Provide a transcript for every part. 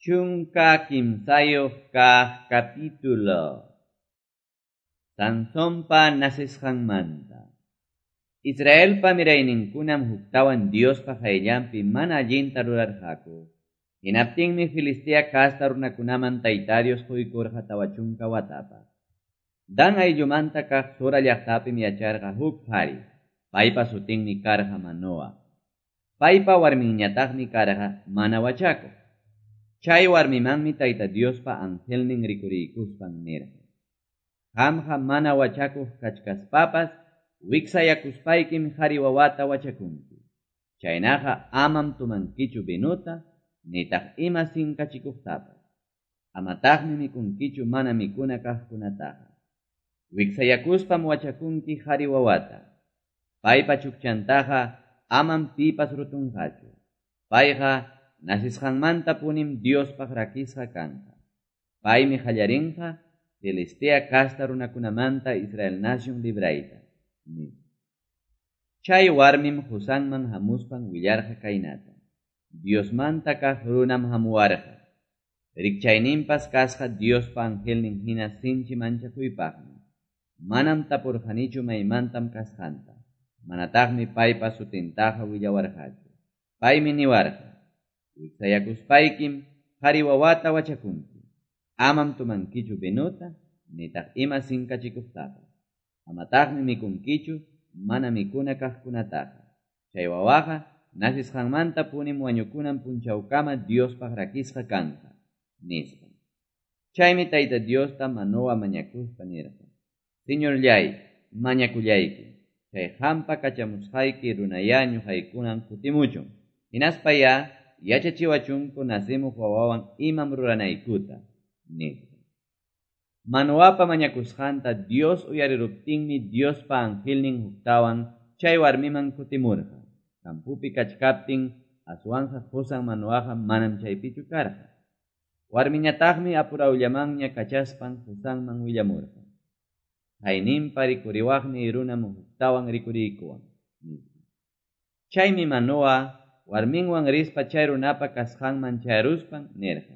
13 kaq capítulo. Sansonpa nacesqanmanta. Israelpa mirayninkunam huktawan Diospa qayllanpi mana allinta rurarqaku. Hinaptinmi Filistea casta runakunaman Tayta Dios quykurqa 40 watapaq. Dan ayllumanta kaq Zora llaqtapim yacharqa huk qhari. Paypa sutinmi karqa Manoa. Paypa warminñataqmi karqa mana wachakuq. Chay warmimanmi Tayta Diospa angelnin rikuriykuspan nirqa: Qamqa mana wachakuq kachkaspapas wiksayakuspaykim qhari wawata wachakunki. Chaynaqa amam tumankichu vinuta, nitaq ima sinkachikuqtapas. Amataqmi mikunkichu mana mikuna kaqkunataqa. Wiksayakuspam wachakunki qhari wawata. Paypa chukchantaqa amam pipas rutunqachu. Payqa nasisqanmanta punim Diospaq rakisqa kanqa. Paymi qallarinqa Filistea casta runakunamanta Israel nación librayta, nispa. Chay warmim qusanman hamuspan willarqa kaynata: Diosmanta kaq runam hamuwarqa. Rikchayninpas kasqa Diospa angelnin hina sinchi manchakuypaqmi. Manam tapurqanichu maymantam kasqanta. Manataqmi paypa sutintaqa willawarqachu. Paymi niwarqa: Wiksayakuspaykim qhari wawata wachakunki. Amam tumankichu vinuta, nitaq ima sinkachikuqtapas. Amataqmi mikunkichu mana mikuna kaqkunataqa. Chay wawaqa nasisqanmanta punim wañukunan punchawkama Diospaq rakisqa kanqa, nispa. Chaymi Tayta Diosta Manoa mañakuspa nirqa: Señorllay, mañakullayki, chay qampa kachamusqayki runayá ñuqaykunan kutimuchun. Hinaspayá yachachiwachunku nacimuq wawawan imam ruranaykuta, nispa. Manoapa mañakusqanta Dios uyariruptinmi Diospa angelnin huktawan chay warmiman kutimurqa. Kampupi kachkaptin aswanqa qusan Manoaqa manam chaypichu karqa. Warmiñataqmi apurawllamanña kachaspan qusanman willamurqa: Hayninpa rikuriwaqni runam huktawan rikuriykuwan, nispa. Chaymi Manoa warminwan rispa chay runapa kasqanman chayaruspan nirqa: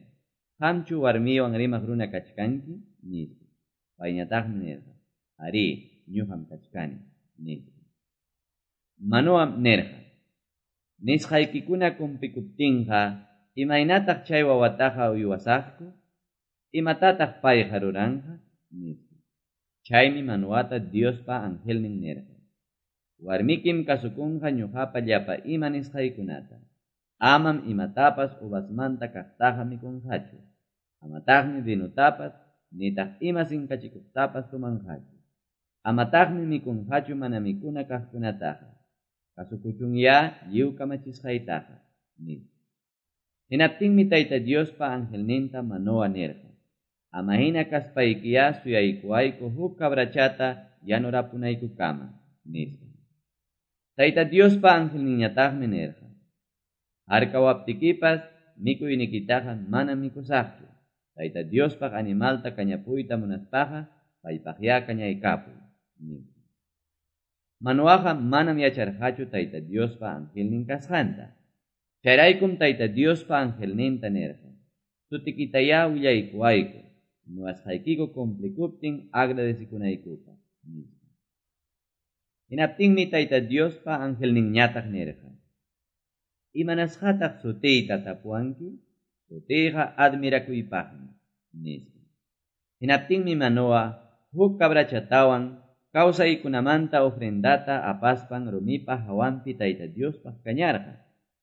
Qamchu warmiwan rimaq runa kachkanki? Nispa. Payñataqmi nirqa: Arí, ñuqam kachkani, nispa. Manoam nirqa: Nisqaykikuna cumplikuptinqa, imaynataq chay wawataqa uywasaqku? Imatataq payqa ruranqa? Nispa. Chaymi Manoata Diospa angelnin nirqa: Warmikim kasukunqa ñuqapa llapa ima nisqaykunata. Amam imatapas uvasmanta kaqtaqa mikunqachu. Amataqmi vinutapas, nitaq ima sinkachikuqtapas tumanqachu. Amataqmi mikunqachu mana mikuna kaqkunataqa. Kasukuchunyá lliw kamachisqaytaqa, nispa. Hinaptinmi Tayta Diospa angelninta Manoa nirqa: Ama hina kaspaykiyá suyaykuwayku huk cabrachata yanurapunaykukama, nispa. Tayta Diospa angelninñataqmi nirqa: Harkawaptikipas mikuynikitaqa manam mikusaqchu. Tayta Diospaq animalta kañapuyta munaspaqa paypaqyá kañaykapuy, nispa. Manoaqa manam yacharqachu Tayta Diospa angelnin kasqanta. Chayraykum Tayta Diospa angelninta nirqa: Sutikitayá willaykuwayku, niwasqaykiku cumplikuptin agradecikunaykupaq, nispa. Hinaptinmi Tayta Diospa angelninñataq nirqa: Imanasqataq sutiyta tapuwanki? Sutiyqa admirakuypaqmi, nispa. Hinaptinmi Manoa huk cabrachatawan kawsaykunamanta ofrendata apaspan rumipa hawanpi Tayta Diospaq kañarqa.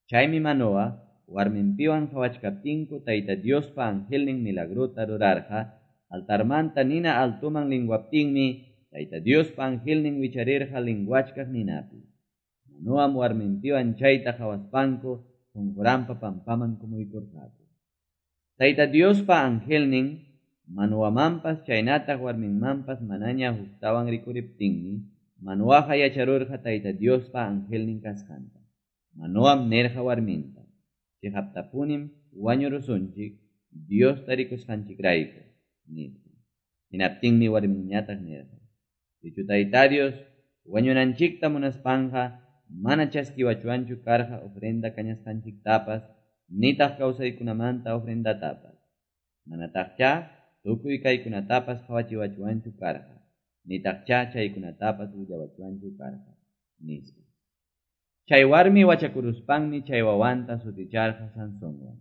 Chaymi Manoa warminpiwan qhawachkaptinku Tayta Diospa angelnin milagrota rurarqa. Altarmanta nina altuman linguaptinmi Tayta Diospa angelnin wicharirqa linguachkaq ninapi. Manoam warminpiwan chayta qhawaspanku qunquranpa pampaman kumuykurqaku. Tayta Diospa angelnin Manoamanpas chaynataq warminmanpas manaña huktawan rikuriptinmi Manoaqa yacharurqa Tayta Diospa angelnin kasqanta. Manoam nirqa warminta: Chiqaptapunim wañurusunchik Diosta rikusqanchikrayku, nispa. Hinaptinmi warminñataq nirqa: Sichu Tayta Dios wañunanchikta munaspanqa mana chaskiwachuanchu karqa ofrenda kañasqanchiktapas, nitaq kawsaykunamanta ofrendatapas. Manataqchá tukuy kaykunatapas qawachiwachwanchu karqa, nitaqchá chaykunatapas willawachwanchu karqa, nispa. Chay warmi wachakuruspanmi chay wawanta suticharqa Sansonwan.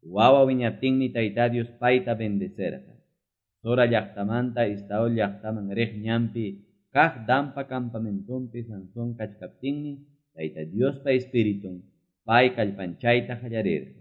Wawa wiñaptinmi Tayta Dios payta bendecerqa. Zora llaqtamanta Estaol llaqtaman riq ñanpi kaq Danpa campamentonpi Sansón kachkaptinmi Tayta Diospa Espiritun pay kallpanchayta qallarirqa.